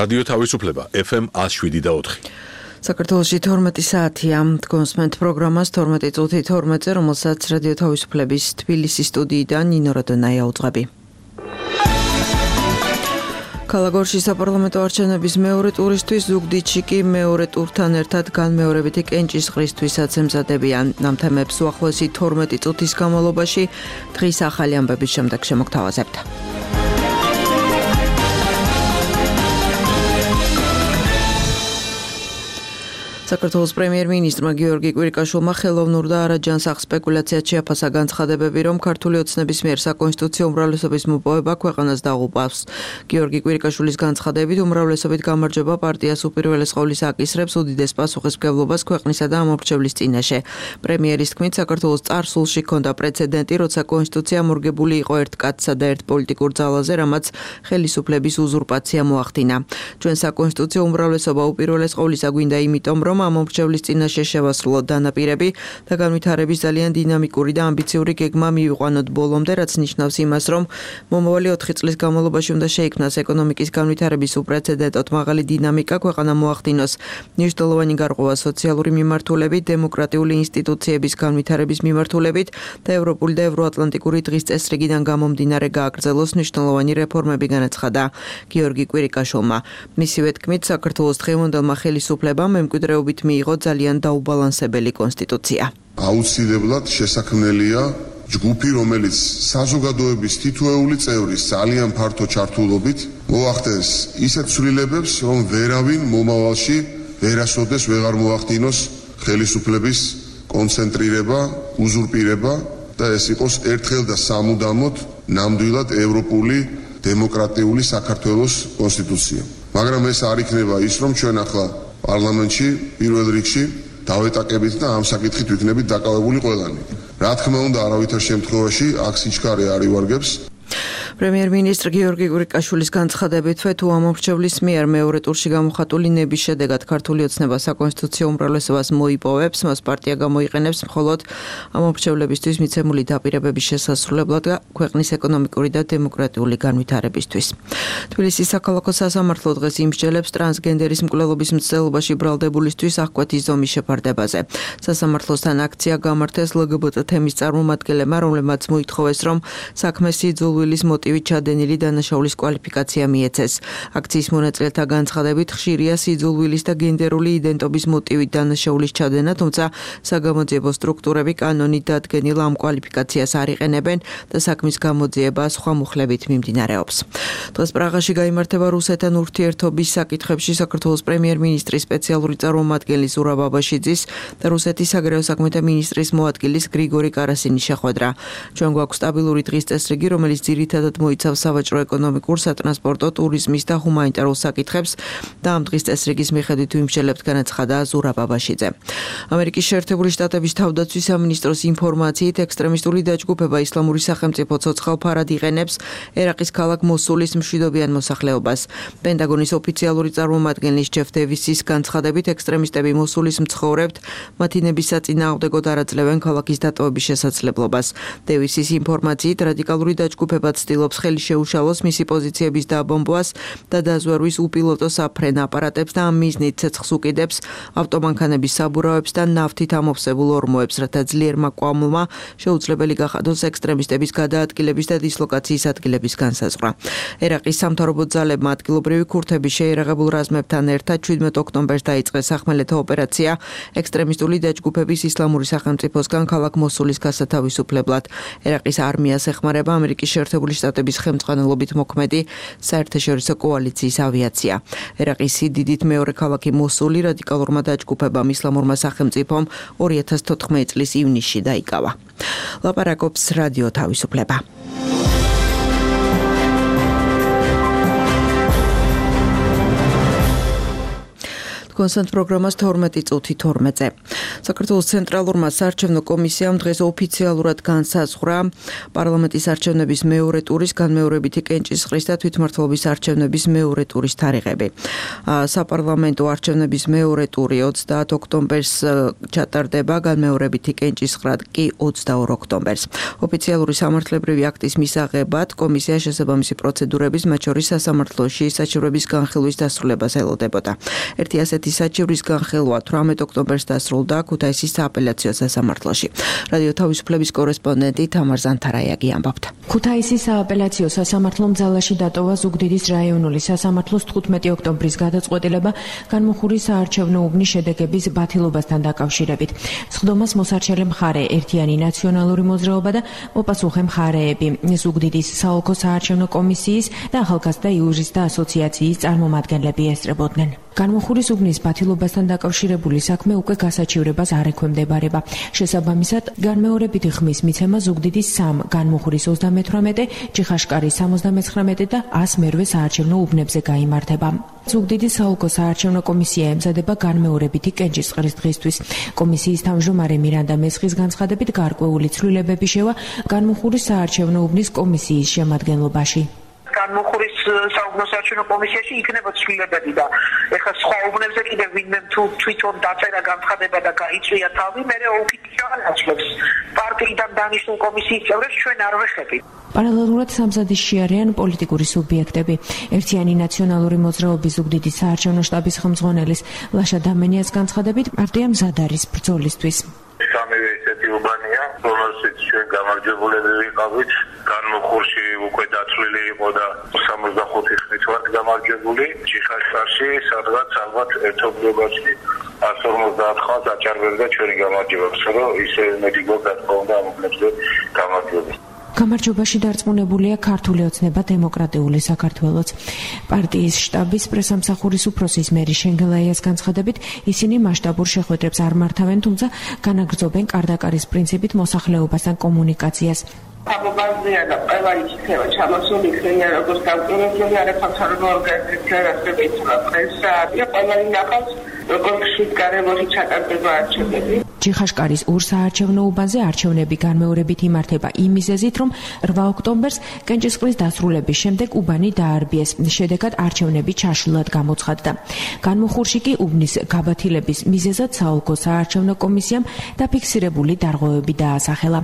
რადიო თავისუფლება FM 107.4. საქართველოში 12 საათია. კონსმენტ პროგრამას 12 წუთი 12-ზე, რომელსაც რადიო თავისუფლების თბილისის სტუდიიდან ნინო რადონაია უძღვები. ქალაქში საპარლამენტო არჩევნების მეორე ტურისთვის ზუგდიდში კი მეორე ტურთან ერთად განმეორებითი კენჭისყრისთვისაც ემზადებიან. ამ თემებს უახლოესი 12 წუთის განმავლობაში დღის ახალი ამბების შემდეგ შემოგთავაზებთ. საქართველოს პრემიერ-მინისტრმა გიორგი კვირიკაშვილმა ხელოვნურ და არაჯანსაღ სპეკულაციად შეაფასა განცხადებები, რომ ქართული ოცნების მიერ საკონსტიტუციო უმრავლესობის მოპოვება ქვეყანას დაღუპავს. გიორგი კვირიკაშვილის განცხადებით, უმრავლესობით გამარჯვება პარტიას უპირველეს ყოვლისა აკისრებს უდიდეს პასუხისმგებლობას ქვეყნისა და ამორჩევლის წინაშე. პრემიერის თქმით, საქართველოს წარსულში ჰქონდა პრეცედენტი, როცა კონსტიტუცია მორგებული იყო ერთ კაცსა და ერთ პოლიტიკურ ძალაზე, რამაც ხელისუფლების უზურპაცია მოახდინა. ჩვენ საკონსტიტუციო უმრავლესობა უპირველეს ყოვლისა გვინდა იმიტომ, რომ ამორჩევლის წინაშე შევასრულოთ დანაპირები და განვითარების ძალიან დინამიკური და ამბიციური გეგმა მივიყვანოთ ბოლომდე, რაც ნიშნავს იმას, რომ მომავალი 4 წლის განმავლობაში უნდა შეიქმნას ეკონომიკის განვითარების უპრეცედენტოდ მაღალი დინამიკა, ქვეყანა მოახდინოს მნიშვნელოვანი გარღვევა სოციალური მიმართულებით, დემოკრატიული ინსტიტუციების განვითარების მიმართულებით და ევროპული და ევროატლანტიკური დღის წესრიგიდან გამომდინარე გააგრძელოს მნიშვნელოვანი რეფორმები, განაცხადა გიორგი კვირიკაშვილმა. მისივე თქმით, საქართველოს დღევანდელმა ხელისუფლებამ მემკვიდრეობით მიიღო ძალიან დაუბალანსებელი კონსტიტუცია. აუცილებლად შესაქმნელია ჯგუფი, რომელიც საზოგადოების თითოეული წევრის ძალიან ფართო ჩართულობით მოახდენს ისეთ ცვლილებებს, რომ ვერავინ მომავალში ვერასოდეს ვეღარ მოახდინოს ხელისუფლების კონცენტრირება, უზურპირება და ეს იყოს ერთხელ და სამუდამოდ ნამდვილად ევროპული დემოკრატიული საქართველოს კონსტიტუცია. მაგრამ ეს არ იქნება ის, რომ ჩვენ ახლა პარლამენტში პირველ რიგში დავეტაკებით და ამ საკითხით ვიქნებით დაკავებული ყველანი. რა თქმა უნდა, არავითარ შემთხვევაში აქ სიჩქარე არ ივარგებს. პრემიერ-მინისტრ გიორგი კვირიკაშვილის განცხადებით, თუ ამორჩევლის მიერ მეორე ტურში გამოხატული ნების შედეგად ქართული ოცნება საკონსტიტუციო უმრავლესობას მოიპოვებს, მას პარტია გამოიყენებს მხოლოდ ამორჩევლებისთვის მიცემული დაპირებების შესასრულებლად და ქვეყნის ეკონომიკური და დემოკრატიული განვითარებისთვის. თბილისის საქალაქო სასამართლო დღეს იმსჯელებს ტრანსგენდერის მკვლელობის მცდელობაში ბრალდებულისთვის აღკვეთის ზომის შეფარდებაზე. სასამართლოსთან აქცია გამართეს LGBT თემის წარმომადგენლებმა, რომლებმაც მოითხოვეს, რომ საქმეს სიძულვილის მოტივით ჩადენილი დანაშაულის კვალიფიკაცია მიეცეს. აქციის მონაწილეთა განცხადებით, ხშირია სიძულვილის და გენდერული იდენტობის მოტივით დანაშაულის ჩადენა, თუმცა საგამოძიებო სტრუქტურები კანონით დადგენილ ამ კვალიფიკაციას არ იყენებენ და საქმის გამოძიება სხვა მუხლებით მიმდინარეობს. დღეს პრაღაში გაიმართება რუსეთთან ურთიერთობის საკითხებში საქართველოს პრემიერ-მინისტრის სპეციალური წარმომადგენლის ზურაბ აბაშიძის და რუსეთის საგარეო საქმეთა მინისტრის მოადგილის გრიგორი კარასინის შეხვედრა. ჩვენ გვაქვს სტაბილური დღის წესრიგი, რომელიც ძირითადად მოიცავს სავაჭრო-ეკონომიკურ, სატრანსპორტო, ტურიზმის და ჰუმანიტარულ საკითხებს და ამ დღის წესრიგის მიხედვით ვიმსჯელებთ, განაცხადა ზურაბ აბაშიძე. ამერიკის შეერთებული შტატების თავდაცვის სამინისტროს ინფორმაციით, ექსტრემისტული დაჯგუფება ისლამური სახელმწიფო ცოცხალ ფარად იყენებს ერაყის ქალაქ მოსულის მშვიდობიან მოსახლეობას. პენტაგონის ოფიციალური წარმომადგენლის ჯეფ დევისის განცხადებით, ექსტრემისტები მოსულის მცხოვრებთ მათი ნების საწინააღმდეგოდ არ აძლევენ ქალაქის დატოვების შესაძლებლობას. დევისის ინფორმაციით, რადიკალური დაჯგუფება ცდილობს ხელი შეუშალოს მისი პოზიციების დაბომბვას და დაზვერვის უპილოტო საფრენ აპარატებს და ამ მიზნით ცეცხლს უკიდებს ავტომანქანების საბურავებს და ნავთით ამოვსებულ ორმოებს, რათა ძლიერმა კვამლმა შეუძლებელი გახადოს ექსტრემისტების გადაადგილების და დისლოკაციის ადგილების განსაზღვრა. ერაყის სამთავრობო ძალებმა ადგილობრივი ქურთების შეიარაღებულ რაზმებთან ერთად 17 ოქტომბერს დაიწყეს სახმელეთო ოპერაცია ექსტრემისტული დაჯგუფების ისლამური სახელმწიფოსგან ქალაქ მოსულის გასათავისუფლებლად. ერაყის არმიას ეხმარება ამერიკის შეერთებული შტატების ხელმძღვანელობით მოქმედი საერთაშორისო კოალიციის ავიაცია. ერაყის სიდიდით მეორე ქალაქი მოსული რადიკალურმა დაჯგუფებამ ისლამურმა სახელმწიფომ 2014 წლის ივნისში დაიკავა. ლაპარაკობს რადიო თავისუფლება. კონსტანტ პროგრამას 12 წუთი 12-ზე. საქართველოს ცენტრალურმა საარჩევნო კომისიამ დღეს ოფიციალურად განსაზღვრა პარლამენტის არჩევნების მეორე ტურის განმეორებითი კენჭისყრის და თვითმმართველობის არჩევნების მეორე ტურის თარიღები. საპარლამენტო არჩევნების მეორე ტური 30 ოქტომბერს ჩატარდება, განმეორებითი კენჭისყრა კი 22 ოქტომბერს. ოფიციალური სამართლებრივი აქტის მისაღებად კომისია შესაბამისი პროცედურების, მათ შორის სასამართლოში საჩივრების განხილვის დასრულებას ელოდებოდა. ერთი ასეთი საჩივრის განხილვა 18 ოქტომბერს დასრულდა ქუთაისის სააპელაციო სასამართლოში. რადიო თავისუფლების კორესპონდენტი თამარ ზანთარაიაგი ამბობდა. ქუთაისის სააპელაციო სასამართლომ ძალაში დატოვა ზუგდიდის რაიონული სასამართლოს 15 ოქტომბრის გადაწყვეტილება განმუხურის საარჩევნო უბნის შედეგების ბათილობასთან დაკავშირებით. სხდომას მოსარჩელე მხარე ერთიანი ნაციონალური მოძრაობა და მოპასუხე მხარეები ზუგდიდის საოლქო საარჩევნო კომისიის და ახალგაზრდა იურისტთა ასოციაციის წარმომადგენლები ესწრებოდნენ. განმუხურის უბნის ბათილობასთან დაკავშირებული საქმე უკვე გასაჩივრებას არ ექვემდებარება. შესაბამისად, განმეორებითი ხმის მიცემა ზუგდიდის 3, განმუხურის 38, ჯიხაშკარის 79 და 100 საარჩევნო უბნებზე გაიმართება. ზუგდიდის საოლქო საარჩევნო კომისია ემზადება განმეორებითი კენჭისყრის დღისთვის. კომისიის თავმჯდომარე მირანდა მესხის განცხადებით გარკვეული ცვლილებები შევა განმუხურის საარჩევნო უბნის კომისიის შემადგენლობაში. განმუხურის საუბნო საარჩევნო კომისიაში იქნება ცვლილებები და ეხლა სხვა უბნებზე კიდევ ვინმე თვითონ დაწერა განცხადება და გაიწვია თავი, მე ოფიციალურად აჩვენებს პარტიიდან დანიშნულ კომისიის წევრებს ჩვენ არ ვეხებით. პარალელურად სამზადისში არიან პოლიტიკური სუბიექტები. ერთიანი ნაციონალური მოძრაობის ზუგდიდის საარჩევნო შტაბის ხელმძღვანელის ლაშა დამენიას განცხადებით პარტია მზად არის ბრძოლისთვის. სამივე ესეთი უბანია, რომელშიც ჩვენ გამარჯვებულები ვიყავით. განმუხურში უკვე დაცვლილი იყო და 65 ხნით ვართ გამარჯვებული. ჯიხაშკარში სადღაც ალბათ ერთობლიობაში 150 ხალხს აჭარბებდა ჩვენი გამარჯვება, რომ ისე მეტი გოგა თქო უნდა ამობლებზე გამარჯვება. გამარჯვებაში დარწმუნებულია ქართული ოცნება დემოკრატიული საქართველოც. პარტიის შტაბის პრესამსახურის უფროსის მერი შენგელაიას განცხადებით, ისინი მასშტაბურ შეხვედრებს არ მართავენ, თუმცა განაგრძობენ კარდაკარის პრინციპით მოსახლეობასთან კომუნიკაციას. ამობაზრია და ყველა იქნება ჩამოსული იქნება როგორც დამკვირვებელი არაფასარგებლო ორგანიზაცია, რასაც პრესა და ყველა ინახავს როგორც გარემოში ჩატარდება არჩევნები. ჯიხაშკარის ურსაარჩევნო უბანზე არჩევნები განმეორებით იმართება იმ მიზეზით, რომ 8 ოქტომბერს კენჭისყრის დასრულების შემდეგ უბანი დაარბიეს. შედეგად არჩევნები ჩაშლილად გამოცხადდა. განმუხურში კი უბნის გაბათილების მიზეზად საოლქო საარჩევნო კომისიამ დაფიქსირებული დარღვევები დაასახელა.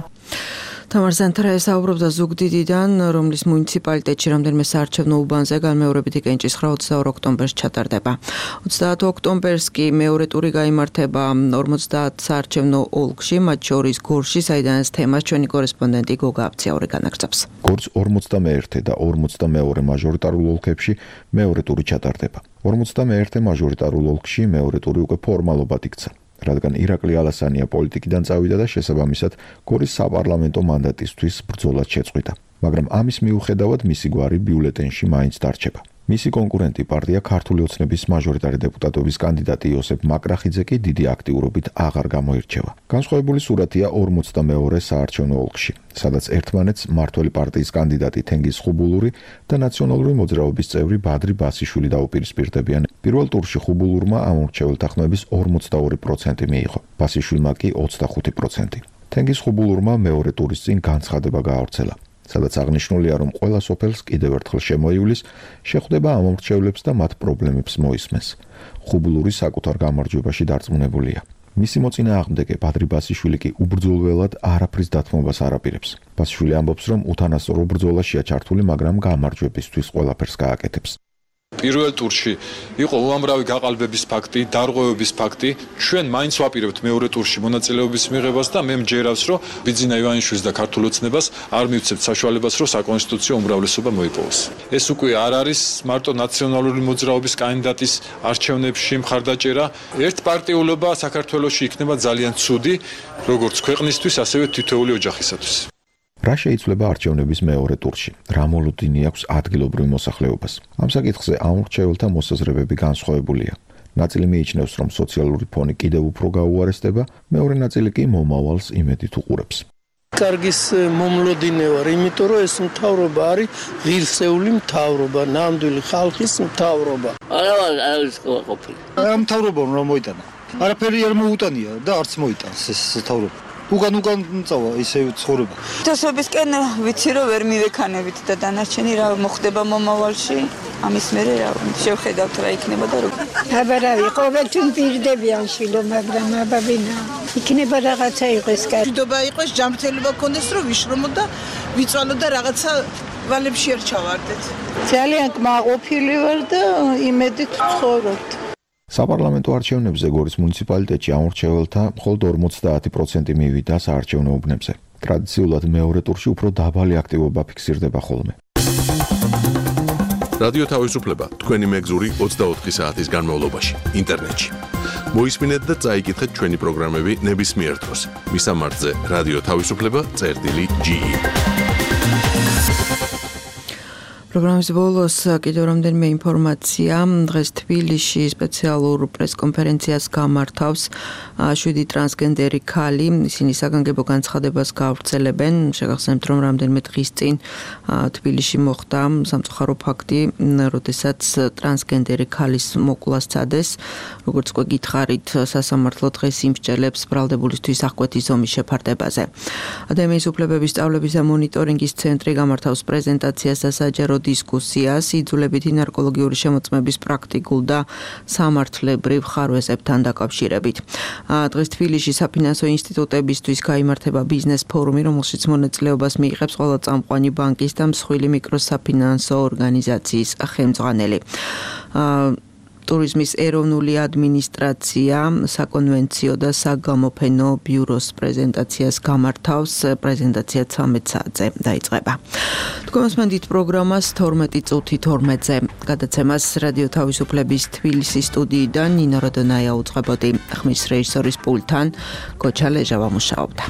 თამარ ზანთარაია საუბრობდა ზუგდიდიდან, რომლის მუნიციპალიტეტში რამდენიმე საარჩევნო უბანზე განმეორებითი კენჭისყრა 22 ოქტომბერს ჩატარდება. 30 ოქტომბერს კი მეორე ტური გაიმართება 50 საარჩევნო ოლქში, მათ შორის გორში, საიდანაც თემას ჩვენი კორესპონდენტი გოგა აბციაური განაგრძობს. გორს 51 და 42 მაჟორიტარულ ოლქებში მეორე ტური ჩატარდება. 51 მაჟორიტარულ ოლქში მეორე ტური უკვე ფორმალობად იქცა. რადგან ირაკლი ალასანია პოლიტიკიდან წავიდა და შესაბამისად გორის საპარლამენტო მანდატისთვის ბრძოლად შეწყვიტა. მაგრამ ამის მიუხედავად მისი გვარი ბიულეტენში მაინც დარჩება. მისი კონკურენტი პარტია ქართული ოცნების მაჟორიტარი დეპუტატობის კანდიდატი იოსებ მაკრახიძე კი დიდი აქტიურობით აღარ გამოირჩევა. განსხვავებული სურათია 42 საარჩევნო ოლქში, სადაც ერთმანეთს მართველი პარტიის კანდიდატი თენგიზ ხუბულური და ნაციონალური მოძრაობის წევრი ბადრი ბასიშვილი დაუპირისპირდებიან. პირველ ტურში ხუბულურმა ამორჩეველთა ხმების 42% მიიღო, ბასიშვილმა კი 25%. თენგიზ ხუბულურმა მეორე ტურის წინ განცხადება გაავრცელა, სადაც აღნიშნულია, რომ ყველა სოფელს კიდევ ერთხელ შემოივლის, შეხვდება ამორჩევლებს და მათ პრობლემებს მოისმენს. ხუბულური საკუთარ გამარჯვებაში დარწმუნებულია. მისი მოწინააღმდეგე ბადრი ბასიშვილი კი უბრძოლველად არაფრის დათმობას არ აპირებს. ბასიშვილი ამბობს, რომ უთანასწორო ბრძოლაშია ჩართული, მაგრამ გამარჯვებისთვის ყველაფერს გააკეთებს. პირველ ტურში იყო უამრავი გაყალბების ფაქტი, დარღვევების ფაქტი. ჩვენ მაინც ვაპირებთ მეორე ტურში მონაწილეობის მიღებას და მე მჯერავს, რომ ბიძინა ივანიშვილის და ქართულ ოცნებას არ მივცემთ საშუალებას, რომ საკონსტიტუციო უმრავლესობა მოიპოვოს. ეს უკვე არ არის მარტო ნაციონალური მოძრაობის კანდიდატის არჩევნებში მხარდაჭერა. ერთპარტიულობა საქართველოში იქნება ძალიან ცუდი, როგორც ქვეყნისთვის, ასევე თითოეული ოჯახისათვის. რა შეიცვლება არჩევნების მეორე ტურში? რა მოლოდინი აქვს ადგილობრივ მოსახლეობას? ამ საკითხზე ამორჩეველთა მოსაზრებები განსხვავებულია. ნაწილი მიიჩნევს, რომ სოციალური ფონი კიდევ უფრო გაუარესდება, მეორე ნაწილი კი მომავალს იმედით უყურებს. კარგის მომლოდინე ვარ, იმიტომ რომ ეს მთავრობა არის ღირსეული მთავრობა, ნამდვილი ხალხის მთავრობა. არა ყოფილი. ამ მთავრობამ რა მოიტანა? არაფერი არ მოუტანია და არც მოიტანს ეს მთავრობა. უკან წავა ისე ცხოვრება. თასობისკენ ვიცი რომ ვერ მივექანებით და დანარჩენი რა მოხდება მომავალში. ამის მერე რა შევხედავთ რა იქნება და როგორ. აბარავი ყოველთვის პირდებიან შილო, მაგრამ აბაბინა იქნება რაღაცა იყოს კარგი. მშვიდობა იყოს, ჯანმრთელობა გქონდეს, რომ ვიშრომო და ვიწვალო და რაღაცა ვალებში არ ჩავარდეთ. ძალიან კმაყოფილი ვარ და იმედით ვცხოვრობთ. საპარლამენტო არჩევნებზე გორის მუნიციპალიტეტში ამორჩეველთა მხოლოდ 50% მივიდა საარჩევნო უბნებზე. ტრადიციულად მეორე ტურში უფრო დაბალი აქტივობა ფიქსირდება ხოლმე. რადიო თავისუფლება თქვენი მეგზური 24 საათის განმავლობაში ინტერნეტში. მოისმინეთ და წაიკითხეთ ჩვენი პროგრამები ნებისმიერ დროს. მისამართზე რადიო თავისუფლება.ge. პროგრამის ბოლოს კიდევ რამდენიმე ინფორმაცია. დღეს თბილისში სპეციალურ პრესკონფერენციას გამართავს 7 ტრანსგენდერი ქალი. ისინი საგანგებო განცხადებას გაავრცელებენ. შეგახსენებთ, რომ რამდენიმე დღის წინ თბილისში მოხდა სამწუხარო ფაქტი, როდესაც ტრანსგენდერი ქალის მოკვლას სცადეს. როგორც უკვე გითხარით, სასამართლო დღეს იმსჯელებს ბრალდებულისთვის აღკვეთის ზომის შეფარდებაზე. ადამიანის უფლებების სწავლების და მონიტორინგის ცენტრი გამართავს პრეზენტაციას და საჯარო დისკუსიას იძულებითი ნარკოლოგიური შემოწმების პრაქტიკულ და სამართლებრივ ხარვეზებთან დაკავშირებით. დღეს თბილისში საფინანსო ინსტიტუტებისთვის გაიმართება ბიზნეს ფორუმი, რომელშიც მონაწილეობას მიიღებს ყველა წამყვანი ბანკის და მსხვილი მიკროსაფინანსო ორგანიზაციის ხელმძღვანელი. ტურიზმის ეროვნული ადმინისტრაცია საკონვენციო და საგამოფენო ბიუროს პრეზენტაციას გამართავს. პრეზენტაცია 13 საათზე დაიწყება. თქვენსმენდით პროგრამას 12 წუთი 12-ზე. გადაცემას რადიო თავისუფლების თბილისის სტუდიიდან ნინო როდონაია უწყებოდი. ხმის რეჟისორის პულტთან გოჩა ლეჟავა მუშაობდა.